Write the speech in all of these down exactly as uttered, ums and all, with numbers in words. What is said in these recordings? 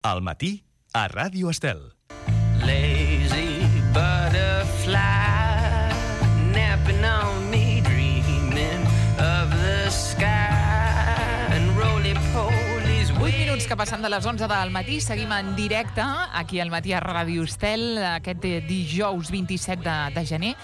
Al matí, a Ràdio Estel. Lazy butterfly napping on me, dreaming of the sky and roly-polies. vuit minuts que passen de les onze del matí, seguim en directe aquí al matí a Ràdio Estel, aquest dijous vint-i-set de, de gener.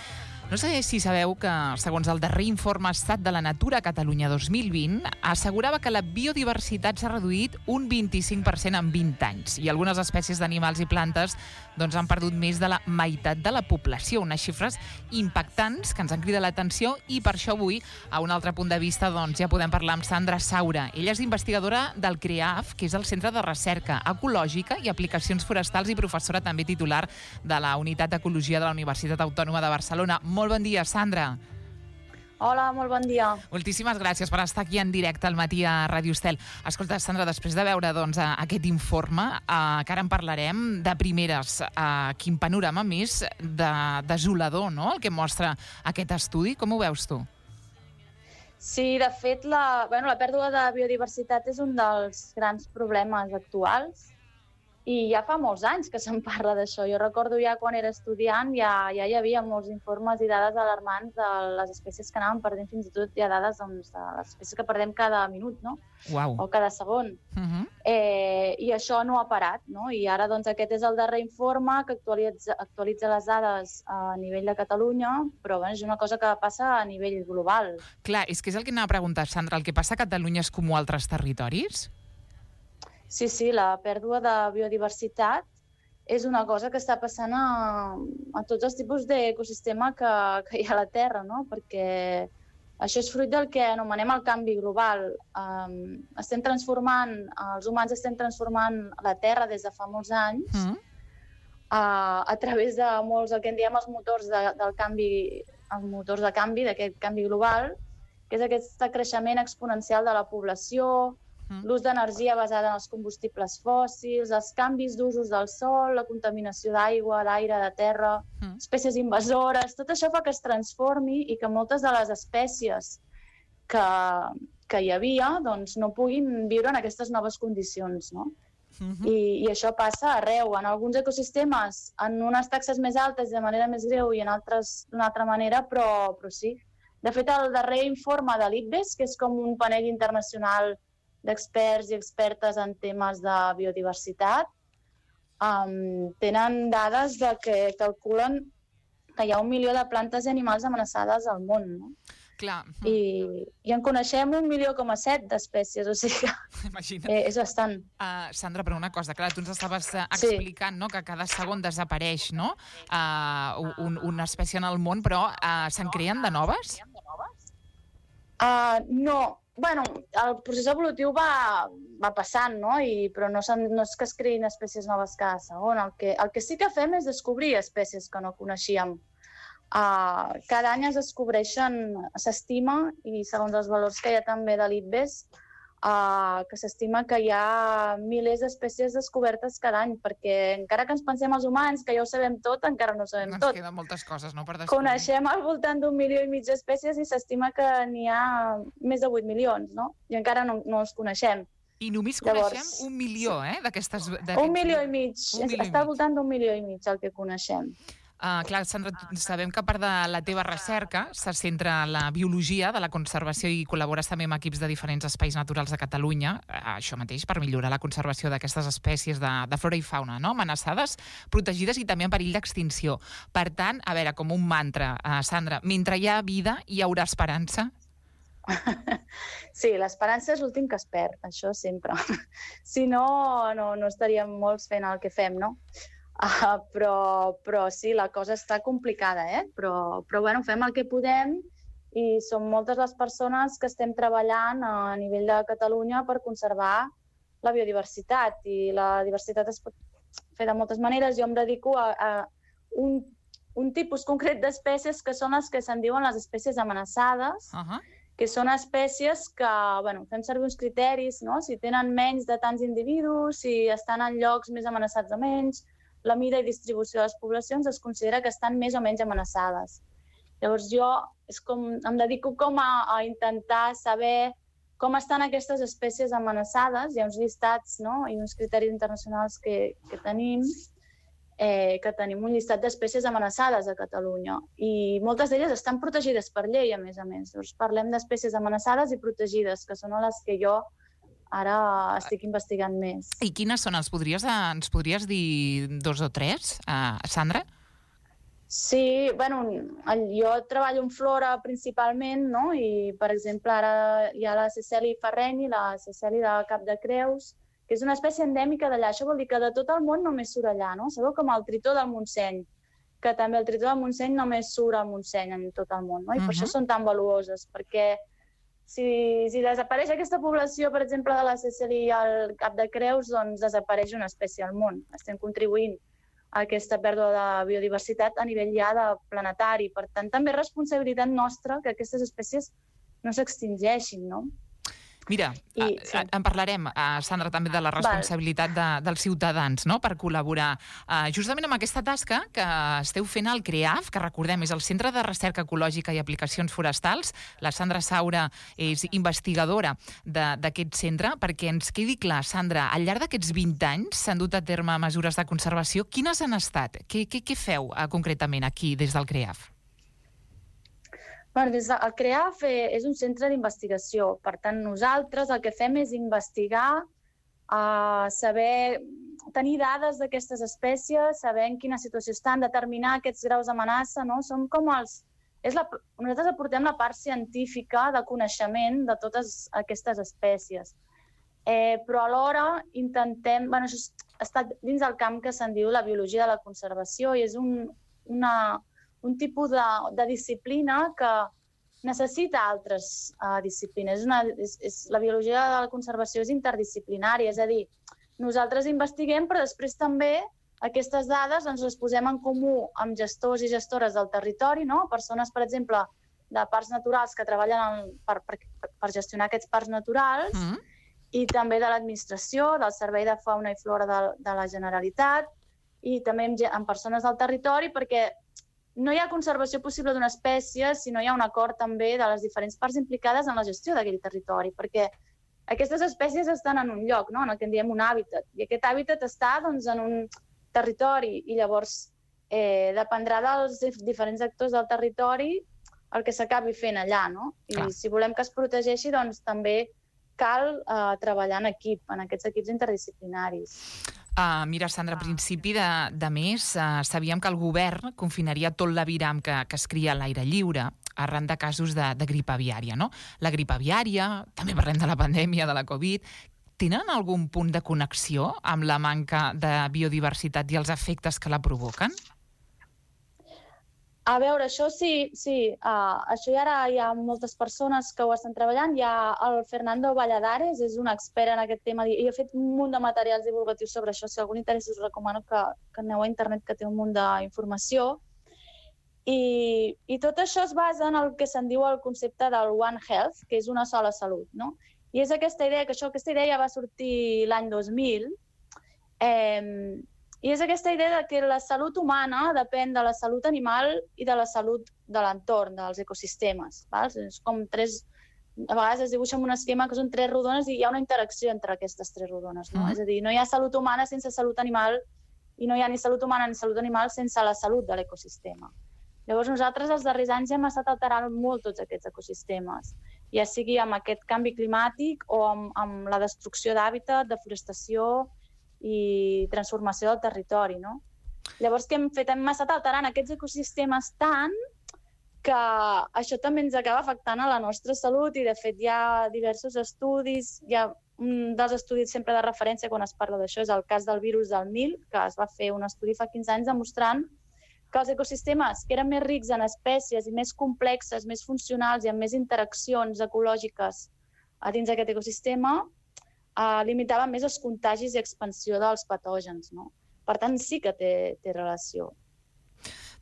No sé si sabeu que, segons el darrer informe Estat de la Natura a Catalunya dos mil vint, assegurava que la biodiversitat s'ha reduït un vint-i-cinc per cent en vint anys i algunes espècies d'animals i plantes doncs, han perdut més de la meitat de la població. Unes xifres impactants que ens han cridat l'atenció i per això avui, a un altre punt de vista, doncs, ja podem parlar amb Sandra Saura. Ella és investigadora del CREAF, que és el Centre de Recerca Ecològica i Aplicacions Forestals i professora també titular de la Unitat d'Ecologia de la Universitat Autònoma de Barcelona. Molt bon dia, Sandra. Hola, molt bon dia. Moltíssimes gràcies per estar aquí en directe al matí a Ràdio Estel. Escolta, Sandra, després de veure doncs, aquest informe, eh, que ara en parlarem, de primeres, eh, quin panorama més de, desolador, no?, el que mostra aquest estudi. Com ho veus tu? Sí, de fet, la, bueno, la pèrdua de biodiversitat és un dels grans problemes actuals i ja fa molts anys que se'n parla d'això. Jo recordo ja quan era estudiant ja, ja hi havia molts informes i dades alarmants de les espècies que anàvem perdent, fins i tot hi ha dades doncs, de les espècies que perdem cada minut, no? Uau. O cada segon. Uh-huh. eh, I això no ha parat, no? I ara doncs, aquest és el darrer informe que actualitza, actualitza les dades a nivell de Catalunya, però bueno, és una cosa que passa a nivell global. Clar, és que és el que anava a preguntar, Sandra. El que passa a Catalunya és com a altres territoris? Sí, sí, la pèrdua de biodiversitat és una cosa que està passant a, a tots els tipus d'ecosistema que, que hi ha a la Terra, no? Perquè això és fruit del que anomenem el canvi global. Um, estem transformant, els humans estem transformant la Terra des de fa molts anys mm. uh, a través de molts, el que en diem els motors de, del canvi, els motors de canvi, d'aquest canvi global, que és aquest creixement exponencial de la població, l'ús d'energia basada en els combustibles fòssils, els canvis d'usos del sol, la contaminació d'aigua, d'aire, de terra, mm. espècies invasores. Tot això fa que es transformi i que moltes de les espècies que, que hi havia doncs, no puguin viure en aquestes noves condicions, no? Mm-hmm. I, I això passa arreu. En alguns ecosistemes, en unes taxes més altes de manera més greu i en altres d'una altra manera, però, però sí. De fet, el darrer informe de l'I P B E S, que és com un panell internacional d'experts i expertes en temes de biodiversitat, um, tenen dades de que calculen que hi ha un milió de plantes i animals amenaçades al món, no? Clar. I, i en coneixem un milió coma set d'espècies, o sigui que eh, és bastant. Uh, Sandra, però una cosa, clar, tu ens estaves uh, explicant, sí, no?, que cada segon desapareix, no?, uh, un, una espècie en el món, però uh, se'n creen de noves? Uh, no. Bueno, el procés evolutiu va, va passant, no? I, però no, no és que es creïn espècies noves cada segon. El que, el que sí que fem és descobrir espècies que no coneixíem. Uh, cada any es descobreixen, s'estima, i segons els valors que hi ha també de l'I P B E S, uh, que s'estima que hi ha milers d'espècies descobertes cada any, perquè encara que ens pensem els humans, que ja ho sabem tot, encara no ho sabem ens tot. Ens queden moltes coses, no?, per descobrir. Coneixem al voltant d'un milió i mig d'espècies i s'estima que n'hi ha més de vuit milions, no? I encara no, no els coneixem. I només Llavors, coneixem un milió, eh, d'aquestes... Un milió i mig. Està al voltant d'un milió i mig el que coneixem. Uh, clar, Sandra, sabem que a part de la teva recerca se centra en la biologia de la conservació i col·labores també amb equips de diferents espais naturals de Catalunya, uh, això mateix, per millorar la conservació d'aquestes espècies de, de flora i fauna, no?, amenaçades, protegides i també en perill d'extinció. Per tant, a veure, com un mantra, uh, Sandra, mentre hi ha vida hi haurà esperança? Sí, l'esperança és l'últim que es perd, això sempre. Si no, no, no estaríem molts fent el que fem, no? Uh, però, però sí, la cosa està complicada, eh? Però, però bueno, fem el que podem i som moltes les persones que estem treballant a nivell de Catalunya per conservar la biodiversitat. I la diversitat es pot fer de moltes maneres. Jo em dedico a, a un, un tipus concret d'espècies que són les que se'n diuen les espècies amenaçades, uh-huh. que són espècies que, bueno, fem servir uns criteris, no? Si tenen menys de tants individus, si estan en llocs més amenaçats o menys, la mida i distribució de les poblacions es considera que estan més o menys amenaçades. Llavors jo és com, em dedico com a, a intentar saber com estan aquestes espècies amenaçades. Hi ha uns llistats, no?, i uns criteris internacionals que, que tenim, eh, que tenim un llistat d'espècies amenaçades a Catalunya. I moltes d'elles estan protegides per llei, a més a més. Llavors parlem d'espècies amenaçades i protegides, que són les que jo ara estic investigant més. I quines són? Els podries, ens podries dir dos o tres, uh, Sandra? Sí, bueno, jo treballo en flora principalment, no? I, per exemple, ara hi ha la Ceceli ferrenyi, la Ceceli de Cap de Creus, que és una espècie endèmica d'allà. Això vol dir que de tot el món només surt allà, no? Sabeu, com el tritó del Montseny, que també el tritó del Montseny només surt al Montseny en tot el món, no? I uh-huh. per això són tan valuoses, perquè si, si desapareix aquesta població, per exemple, de la Ceceli al Cap de Creus, doncs desapareix una espècie al món. Estem contribuint a aquesta pèrdua de biodiversitat a nivell ja de planetari. Per tant, també és responsabilitat nostra que aquestes espècies no s'extingeixin, no? Mira, I, sí. en parlarem, Sandra, també de la responsabilitat de, dels ciutadans, no?, per col·laborar uh, justament amb aquesta tasca que esteu fent al CREAF, que recordem és el Centre de Recerca Ecològica i Aplicacions Forestals. La Sandra Saura és investigadora d'aquest centre. Perquè ens quedi clar, Sandra, al llarg d'aquests vint anys s'han dut a terme mesures de conservació. Quines han estat? Què, què, què feu uh, concretament aquí des del CREAF? Bueno, des del CREAF és un centre d'investigació. Per tant, nosaltres el que fem és investigar, uh, saber, tenir dades d'aquestes espècies, saber en quina situació estan, determinar aquests graus d'amenaça, no? Som com els... És la... Nosaltres aportem la part científica de coneixement de totes aquestes espècies. Eh, però alhora intentem... Bueno, això està dins del camp que se'n diu la biologia de la conservació i és un, una... un tipus de, de disciplina que necessita altres uh, disciplines. És una, és, és, la biologia de la conservació és interdisciplinària, és a dir, nosaltres investiguem, però després també aquestes dades ens les posem en comú amb gestors i gestores del territori, no? Persones, per exemple, de parcs naturals que treballen en, per, per, per gestionar aquests parcs naturals, mm. i també de l'administració, del Servei de Fauna i Flora de, de la Generalitat, i també amb, amb persones del territori, perquè no hi ha conservació possible d'una espècie si no hi ha un acord també de les diferents parts implicades en la gestió d'aquell territori, perquè aquestes espècies estan en un lloc, no?, en el que en diem un hàbitat, i aquest hàbitat està doncs, en un territori, i llavors eh, dependrà dels diferents actors del territori el que s'acabi fent allà, no? I Clar. Si volem que es protegeixi, doncs també cal eh, treballar en equip, en aquests equips interdisciplinaris. Uh, mira, Sandra, a principi de, de mes uh, sabíem que el govern confinaria tot l'aviram que, que es cria a l'aire lliure arran de casos de, de grip aviària, no? La grip aviària, també parlem de la pandèmia, de la Covid, tenen algun punt de connexió amb la manca de biodiversitat i els efectes que la provoquen? A veure, això sí, sí. Uh, això ja ara hi ha moltes persones que ho estan treballant. Hi ha el Fernando Valladares, és un expert en aquest tema, i ha fet un munt de materials divulgatius sobre això. Si algú interessa, us recomano que, que aneu a internet, que té un munt d'informació. I, I tot això es basa en el que se'n diu el concepte del One Health, que és una sola salut, no? I és aquesta idea, que això, aquesta idea ja va sortir l'any dos mil, eh, i és aquesta idea que la salut humana depèn de la salut animal i de la salut de l'entorn, dels ecosistemes. Val? És com tres... A vegades es dibuixa amb un esquema que són tres rodones i hi ha una interacció entre aquestes tres rodones. No? Mm. És a dir, no hi ha salut humana sense salut animal i no hi ha ni salut humana ni salut animal sense la salut de l'ecosistema. Llavors nosaltres els darrers anys hem estat alterant molt tots aquests ecosistemes, ja sigui amb aquest canvi climàtic o amb, amb la destrucció d'hàbitat, deforestació i transformació del territori, no? Llavors, què hem fet? Hem estat alterant aquests ecosistemes tant que això també ens acaba afectant a la nostra salut i, de fet, hi ha diversos estudis. Hi ha un dels estudis sempre de referència quan es parla d'això és el cas del virus del Nil, que es va fer un estudi fa quinze anys demostrant que els ecosistemes que eren més rics en espècies i més complexes, més funcionals i amb més interaccions ecològiques a dins d'aquest ecosistema, eh, limitaven més els contagis i expansió dels patògens, no? Per tant, sí que té, té relació.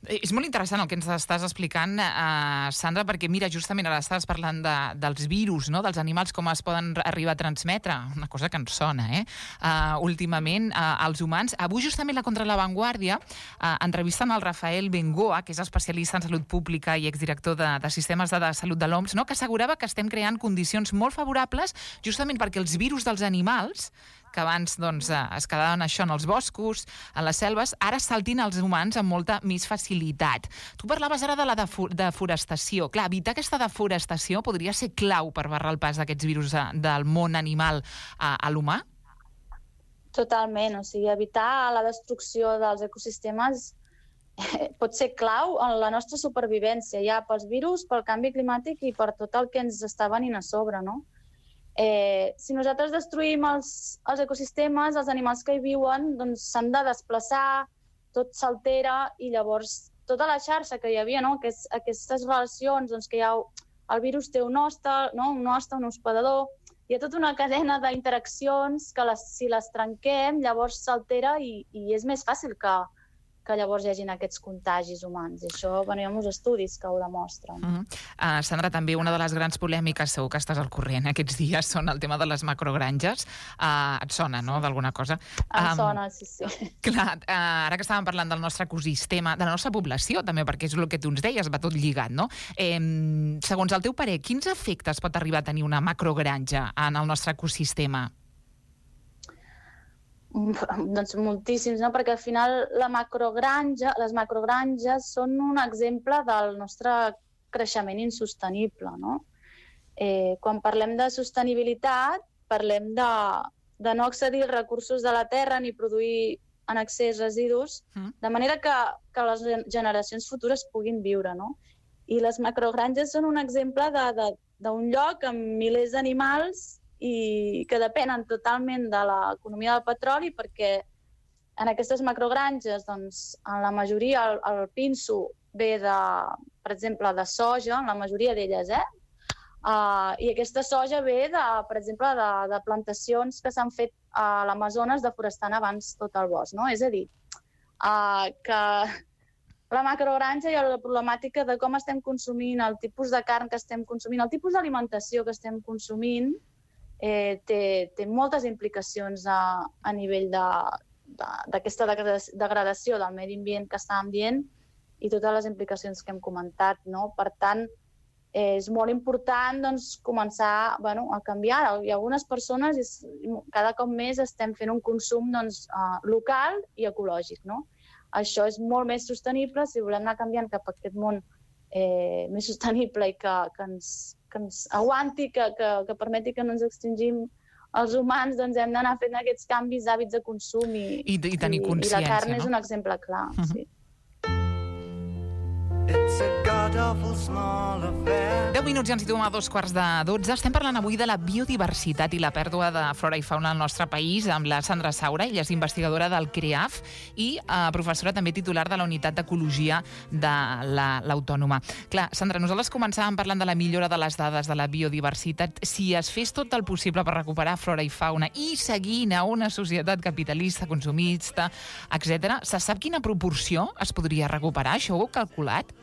És molt interessant el que ens estàs explicant, eh, Sandra, perquè, mira, justament ara estàs parlant de, dels virus, no?, dels animals, com es poden arribar a transmetre, una cosa que ens sona, eh?, uh, últimament, uh, als humans. Avui, justament, la Contra la Vanguardia uh, entrevisten el Rafael Bengoa, que és especialista en salut pública i exdirector de, de sistemes de, de salut de l'O M S, no?, que assegurava que estem creant condicions molt favorables justament perquè els virus dels animals, que abans doncs, es quedaven això en els boscos, en les selves, ara saltin als humans amb molta més facilitat. Tu parlaves ara de la deforestació. Clar, evitar aquesta deforestació podria ser clau per barrar el pas d'aquests virus del món animal a, a l'humà? Totalment. O sigui, evitar la destrucció dels ecosistemes pot ser clau en la nostra supervivència, ja pels virus, pel canvi climàtic i per tot el que ens està venint a sobre, no? Eh, si nosaltres destruïm els, els ecosistemes, els animals que hi viuen doncs s'han de desplaçar, tot s'altera i llavors tota la xarxa que hi havia, no? Aquest, aquestes relacions doncs, que hi ha, el virus té un hoste, no? un hoste, un hospedador, hi ha tota una cadena d'interaccions que les, si les trenquem llavors s'altera i, i és més fàcil que, que llavors hi hagin aquests contagis humans. I això, bueno, hi ha molts estudis que ho demostren. Uh -huh. uh, Sandra, també una de les grans polèmiques, segur que estàs al corrent aquests dies, són el tema de les macrogranges. Uh, et sona, no?, d'alguna cosa? Em um, sona, sí, sí. Clar, uh, ara que estàvem parlant del nostre ecosistema, de la nostra població, també, perquè és el que tu ens deies, va tot lligat, no? Eh, segons el teu parer, quins efectes pot arribar a tenir una macrogranja en el nostre ecosistema? Doncs moltíssims, no? Perquè al final la macrogranja, les macrogranges són un exemple del nostre creixement insostenible, no? Eh, quan parlem de sostenibilitat, parlem de, de no accedir als recursos de la terra ni produir en excés residus, de manera que, que les generacions futures puguin viure, no? I les macrogranges són un exemple d'un lloc amb milers d'animals i que depenen totalment de l'economia del petroli, perquè en aquestes macrogranges, doncs, en la majoria, el, el pinso ve, de, per exemple, de soja, en la majoria d'elles, eh? Uh, I aquesta soja ve, de, per exemple, de, de plantacions que s'han fet a l'Amazones deforestant abans tot el bosc, no? És a dir, uh, que la macrogranja i la problemàtica de com estem consumint, el tipus de carn que estem consumint, el tipus d'alimentació que estem consumint, Eh, té, té moltes implicacions a, a nivell d'aquesta de, de, degradació del medi ambient que estàvem dient i totes les implicacions que hem comentat, no? Per tant, eh, és molt important doncs, començar bueno, a canviar. Hi ha algunes persones, i cada cop més estem fent un consum doncs, uh, local i ecològic, no? Això és molt més sostenible si volem anar canviant cap a aquest món eh, més sostenible i que, que ens que ens aguanti, que, que, que permeti que no ens extingim els humans, doncs hem d'anar fent aquests canvis d'hàbits de consum i, I, i tenir consciència, i la carn no? és un exemple clar. Uh-huh. Sí. deu minuts i ens situem a dos quarts de dotze. Estem parlant avui de la biodiversitat i la pèrdua de flora i fauna al nostre país amb la Sandra Saura. Ella és investigadora del CREAF i eh, professora també titular de la Unitat d'Ecologia de l'Autònoma. Clar, Sandra, nosaltres començàvem parlant de la millora de les dades de la biodiversitat. Si es fes tot el possible per recuperar flora i fauna i seguint a una societat capitalista, consumista, etcètera, se sap quina proporció es podria recuperar? Això ho heu calculat?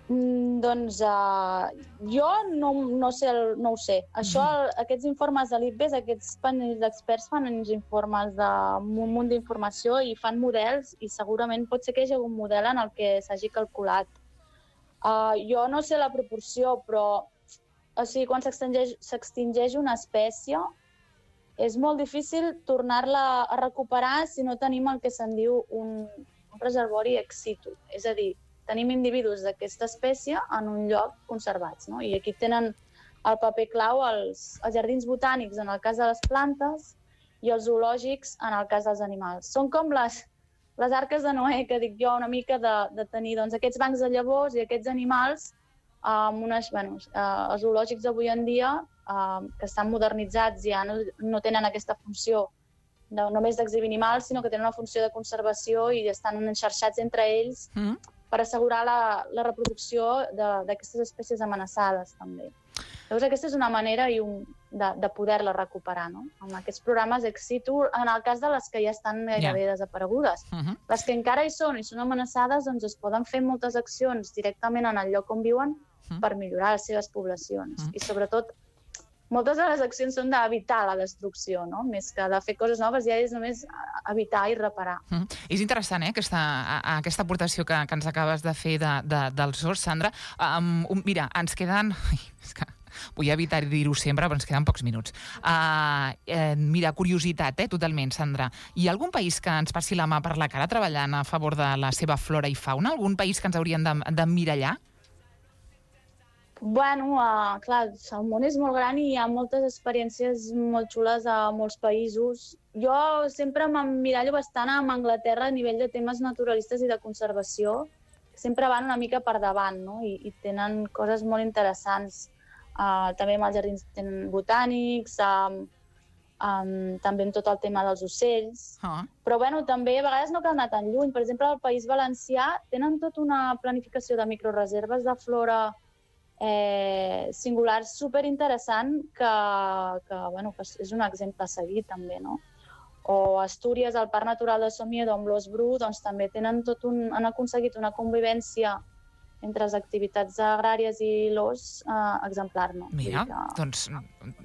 Mm, doncs uh, jo no, no, sé el, no ho sé. Això, el, aquests informes de l'I P B E S, aquests panells d'experts fan uns informes d'un munt d'informació i fan models i segurament pot ser que hi hagi algun model en el que s'hagi calculat. Uh, jo no sé la proporció, però o sigui, quan s'extingeix una espècie és molt difícil tornar-la a recuperar si no tenim el que se'n diu un, un reservori ex situ. És a dir, tenim individus d'aquesta espècie en un lloc conservats, no? I aquí tenen el paper clau els, els jardins botànics en el cas de les plantes i els zoològics en el cas dels animals. Són com les, les arques de Noé, que dic jo, una mica de, de tenir doncs, aquests bancs de llavors i aquests animals amb unes, bueno, uh, els zoològics d'avui en dia uh, que estan modernitzats ja no, no tenen aquesta funció de, només d'exhibir animals, sinó que tenen una funció de conservació i estan enxarxats entre ells mm. per assegurar la, la reproducció d'aquestes espècies amenaçades, també. Llavors, aquesta és una manera i un, de, de poder-la recuperar, no? Amb aquests programes ex situ, en el cas de les que ja estan gairebé yeah. desaparegudes. Uh -huh. Les que encara hi són i són amenaçades, doncs es poden fer moltes accions directament en el lloc on viuen uh -huh. per millorar les seves poblacions. Uh -huh. I sobretot, moltes de les accions són d'evitar la destrucció, no? Més que de fer coses noves, ja és només evitar i reparar. Uh -huh. És interessant, eh, aquesta, aquesta aportació que, que ens acabes de fer de, de, dels horts, Sandra. Um, mira, ens queden... Ai, és que vull evitar dir-ho sempre, però ens queden pocs minuts. Uh, eh, mira, curiositat, eh, totalment, Sandra. Hi ha algun país que ens passi la mà per la cara treballant a favor de la seva flora i fauna? Algun país que ens haurien d'emmirallar? Bueno, uh, clar, el món és molt gran i hi ha moltes experiències molt xules a molts països. Jo sempre m'emmirallo bastant amb Anglaterra a nivell de temes naturalistes i de conservació. Sempre van una mica per davant, no? I, i tenen coses molt interessants. Uh, també amb els jardins botànics, um, um, també amb tot el tema dels ocells. Uh -huh. Però bueno, també a vegades no cal anar tan lluny. Per exemple, al País Valencià tenen tota una planificació de microreserves de flora eh, singular superinteressant que, que, bueno, que és un exemple a seguir també, no? O Astúries, el Parc Natural de Somiedo amb l'ós bru, doncs també tenen tot un, han aconseguit una convivència entre les activitats agràries i l'ós uh, exemplar, no? Mira, que... doncs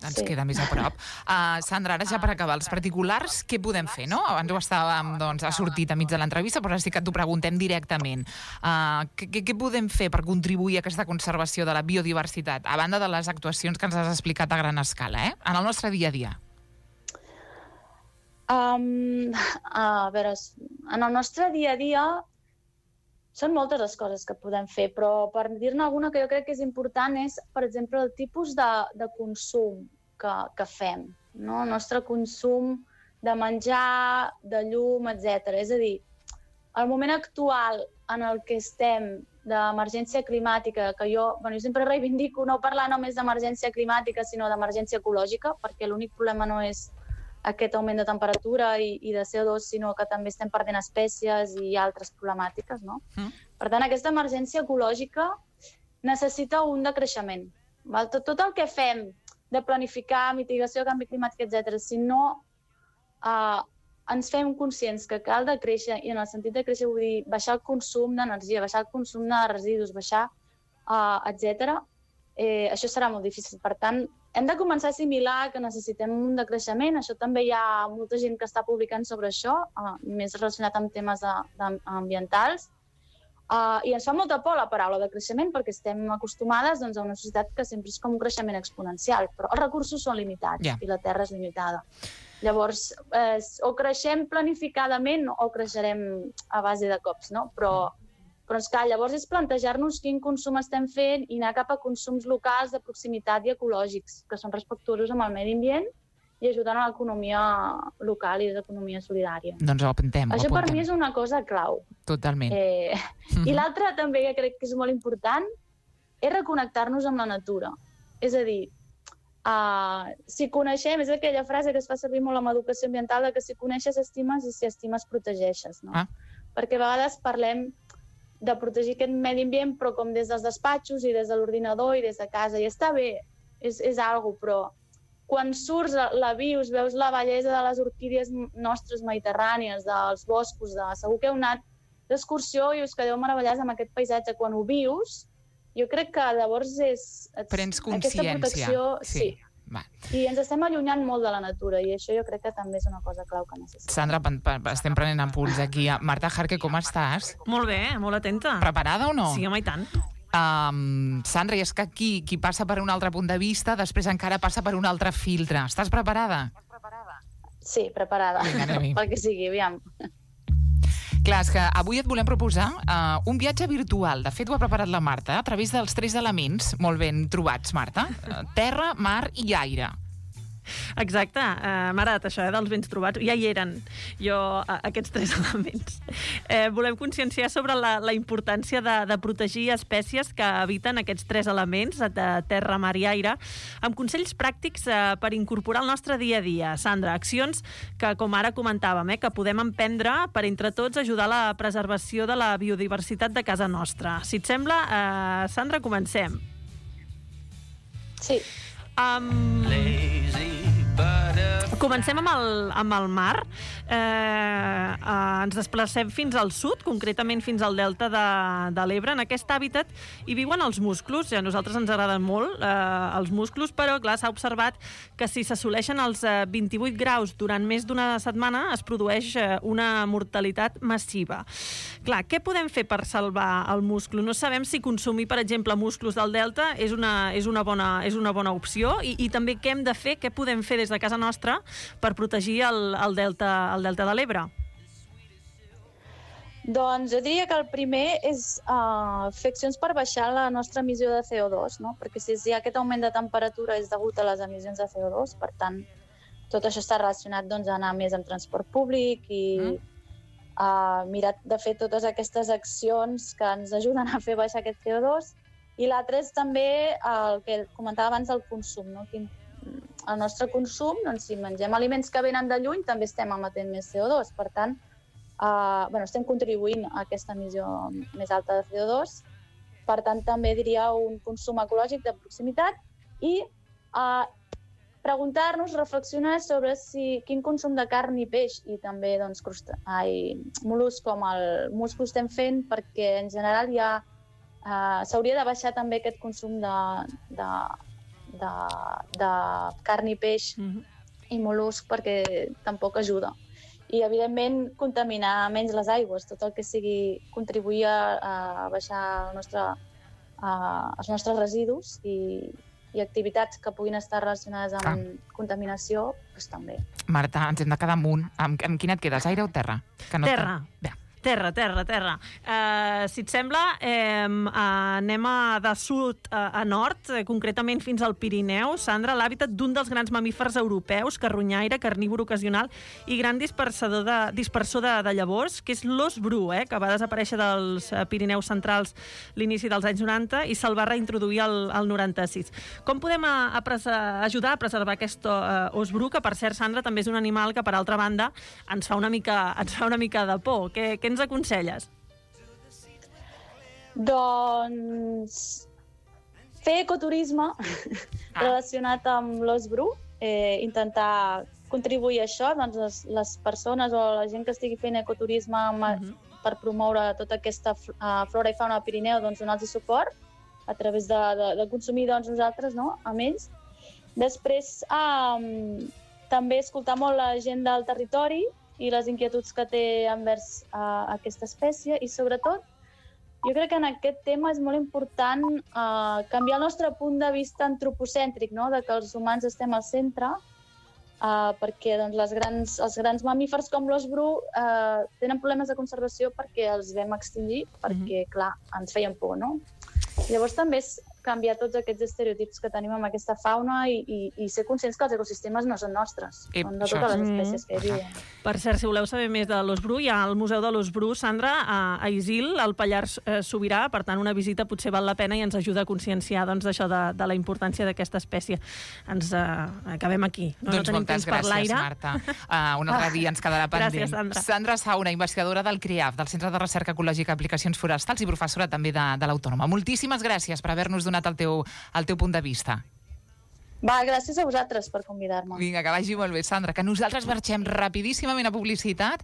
ens sí. queda més a prop. Uh, Sandra, ara ja per acabar, els particulars, què podem fer, no? Abans ho estàvem, doncs, ha sortit a mig de l'entrevista, però ara sí que t'ho preguntem directament. Uh, què, què podem fer per contribuir a aquesta conservació de la biodiversitat, a banda de les actuacions que ens has explicat a gran escala, eh? En el nostre dia a dia? Um, a veure, en el nostre dia a dia són moltes les coses que podem fer, però per dir-ne alguna que jo crec que és important és, per exemple, el tipus de, de consum que, que fem, no? El nostre consum de menjar, de llum, etcètera. És a dir, el moment actual en el que estem d'emergència climàtica, que jo, bueno, jo sempre reivindico no parlar només d'emergència climàtica, sinó d'emergència ecològica, perquè l'únic problema no és aquest augment de temperatura i, i de C O dos, sinó que també estem perdent espècies i altres problemàtiques, no? Mm. Per tant, aquesta emergència ecològica necessita un decreixement. Val? Tot, tot el que fem de planificar, mitigació, canvi climàtic, etcètera, si no eh, ens fem conscients que cal decréixer, i en el sentit de créixer vull dir baixar el consum d'energia, baixar el consum de residus, baixar, eh, etcètera, eh, això serà molt difícil. Per tant, hem de començar a assimilar que necessitem un decreixement. Això també hi ha molta gent que està publicant sobre això, uh, més relacionat amb temes de, de, ambientals. Uh, I ens fa molta por la paraula de creixement perquè estem acostumades, doncs, a una societat que sempre és com un creixement exponencial, però els recursos són limitats yeah. i la Terra és limitada. Llavors, eh, o creixem planificadament o creixerem a base de cops, no? Però... Però és clar, llavors és plantejar-nos quin consum estem fent i anar cap a consums locals de proximitat i ecològics, que són respectuosos amb el medi ambient i ajuden a l'economia local i l'economia solidària. Doncs ho apuntem. Això ho apuntem. per mi és una cosa clau. Totalment. Eh, mm-hmm. I l'altra també que crec que és molt important és reconnectar-nos amb la natura. És a dir, uh, si coneixem, és aquella frase que es fa servir molt amb educació ambiental, de que si coneixes estimes i si estimes protegeixes, no? Ah. Perquè a vegades parlem de protegir aquest medi ambient, però com des dels despatxos i des de l'ordinador i des de casa. I està bé, és, és algo, però quan surts a la vius, veus la bellesa de les orquídies nostres mediterrànies, dels boscos, de segur que heu anat d'excursió i us quedeu meravellats amb aquest paisatge. Quan ho vius, jo crec que llavors és... Prens consciència. Aquesta protecció, sí. sí. Va. I ens estem allunyant molt de la natura i això jo crec que també és una cosa clau que necessitem. Sandra, estem prenent apunts aquí. Marta Jarque, com estàs? Molt bé, molt atenta. Preparada o no? Sí, home, i tant. Um, Sandra, i és que aquí qui passa per un altre punt de vista, després encara passa per un altre filtre. Estàs preparada? Sí, preparada. Vinga, pel que sigui, aviam. Clar, és que avui et volem proposar uh, un viatge virtual. De fet, ho ha preparat la Marta, a través dels tres elements molt ben trobats, Marta. Uh, terra, mar i aire. Exacte, uh, m'ha agradat això, eh, dels bens trobats. Ja hi eren, jo, uh, aquests tres elements. Eh, volem conscienciar sobre la, la importància de, de protegir espècies que habiten aquests tres elements, de terra, mar i aire, amb consells pràctics uh, per incorporar al nostre dia a dia. Sandra, accions que, com ara comentàvem, eh, que podem emprendre per, entre tots, ajudar a la preservació de la biodiversitat de casa nostra. Si et sembla, uh, Sandra, comencem. Sí. Um... Comencem amb el, amb el mar. Eh, eh, ens desplacem fins al sud, concretament fins al delta de, de l'Ebre. En aquest hàbitat hi viuen els musclos. A nosaltres ens agraden molt eh, els musclos, però clar, s'ha observat que si s'assoleixen els eh, vint-i-vuit graus durant més d'una setmana es produeix eh, una mortalitat massiva. Clar, què podem fer per salvar el musclo? No sabem si consumir, per exemple, musclos del delta és una, és una, bona, és una bona opció i, i també què hem de fer, què podem fer des de casa nostra per protegir el, el, delta, el delta de l'Ebre? Doncs jo diria que el primer és uh, fer accions per baixar la nostra emissió de C O dos, no? Perquè si hi ha aquest augment de temperatura és degut a les emissions de C O dos, per tant, tot això està relacionat doncs, a anar més en transport públic i mm. uh, mirar de fer totes aquestes accions que ens ajuden a fer baixar aquest C O dos. I l'altre és també el que comentava abans, el consum, no? Quin, el nostre consum, doncs, si mengem aliments que venen de lluny, també estem emetent més C O dos. Per tant, eh, bueno, estem contribuint a aquesta emissió més alta de C O dos. Per tant, també diria un consum ecològic de proximitat i eh, preguntar-nos, reflexionar sobre si, quin consum de carn i peix i també doncs, crusta, ai, mol·luscs com el musclo estem fent, perquè en general ja eh, s'hauria de baixar també aquest consum de, de De, de carn i peix mm-hmm. i mol·lusc, perquè tampoc ajuda. I, evidentment, contaminar menys les aigües, tot el que sigui contribuir a, a baixar el nostre, a, els nostres residus i, i activitats que puguin estar relacionades amb ah. contaminació, doncs també. Marta, ens hem de quedar amunt. Amb, amb quina et quedes, aire o terra? Que no terra. Bé. Terra, terra, terra. Uh, si et sembla, eh, anem a de sud a, a nord, eh, concretament fins al Pirineu. Sandra, l'hàbitat d'un dels grans mamífers europeus, carronyaire, carnívor ocasional i gran dispersador de, dispersor de, de llavors, que és l'ós bru, eh, que va desaparèixer dels Pirineus centrals l'inici dels anys noranta i se'l va reintroduir al, al noranta-sis. Com podem a, a presa, ajudar a preservar aquest uh, ós bru, que per cert, Sandra, també és un animal que, per altra banda, ens fa una mica, ens fa una mica de por? Què, què ens aconselles? Doncs fer ecoturisme ah. relacionat amb l'ós bru, eh, intentar contribuir a això, doncs les, les persones o la gent que estigui fent ecoturisme amb, uh-huh. per promoure tota aquesta uh, flora i fauna del Pirineu, doncs donar-los suport a través de, de, de consumir doncs, nosaltres, no?, amb ells. Després, um, també escoltar molt la gent del territori i les inquietuds que té envers uh, aquesta espècie i, sobretot, jo crec que en aquest tema és molt important uh, canviar el nostre punt de vista antropocèntric, no?, de que els humans estem al centre, uh, perquè doncs, les grans, els grans mamífers com l'ós bru uh, tenen problemes de conservació perquè els vam extingir, perquè, mm-hmm. clar, ens feien por, no? Llavors també és canviar tots aquests estereotips que tenim amb aquesta fauna i, i, i ser conscients que els ecosistemes no són nostres, I, són de totes les espècies que hi viuen. Per cert, si voleu saber més de l'ós bru, hi ha al Museu de l'Ós Bru, Sandra, a, a Isil, al Pallars eh, Sobirà, per tant, una visita potser val la pena i ens ajuda a conscienciar doncs, d'això de, de la importància d'aquesta espècie. Ens eh, acabem aquí. No, doncs no tenim moltes temps per gràcies, l'aire. Marta. Uh, un altre dia ens quedarà pendent. Gràcies, Sandra. Sandra Sauna, investigadora del CRIAF, del Centre de Recerca Ecològica i Aplicacions Forestals i professora també de, de l'Autònoma. Moltíssimes gràcies per haver-nos donat el teu el teu punt de vista. Va, gràcies a vosaltres per convidar-me. Vinga, que vagi molt bé, Sandra, que nosaltres marxem rapidíssimament a publicitat